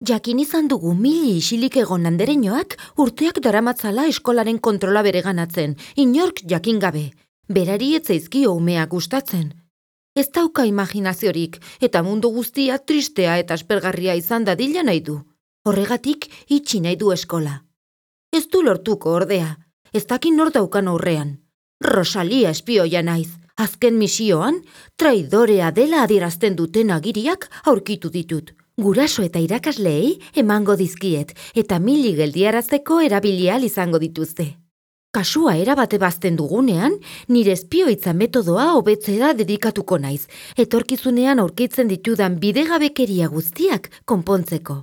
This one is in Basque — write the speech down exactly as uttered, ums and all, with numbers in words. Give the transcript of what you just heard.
Jakin izan dugu mili isilik egon andereñoak urteak daramatzala eskolaren kontrola bereganatzen, inork jakin gabe. Berari ez zaizkio umeak gustatzen. Ez dauka imaginaziorik eta mundu guztia tristea eta aspergarria izan dadila nahi du. Horregatik itxi nahi du eskola. Ez du lortuko ordea, ez dakin nor daukan aurrean. Rosalia espioia naiz. Azken misioan, traidorea dela adierazten duten agiriak aurkitu ditut. Guraso eta irakasleei emango dizkiet eta mili geldiarazteko erabilial izango dituzte. Kasua erabate bazten dugunean, nire espioitza metodoa hobetzera dedikatuko naiz, etorkizunean aurkitzen ditudan bidegabekeria guztiak konpontzeko.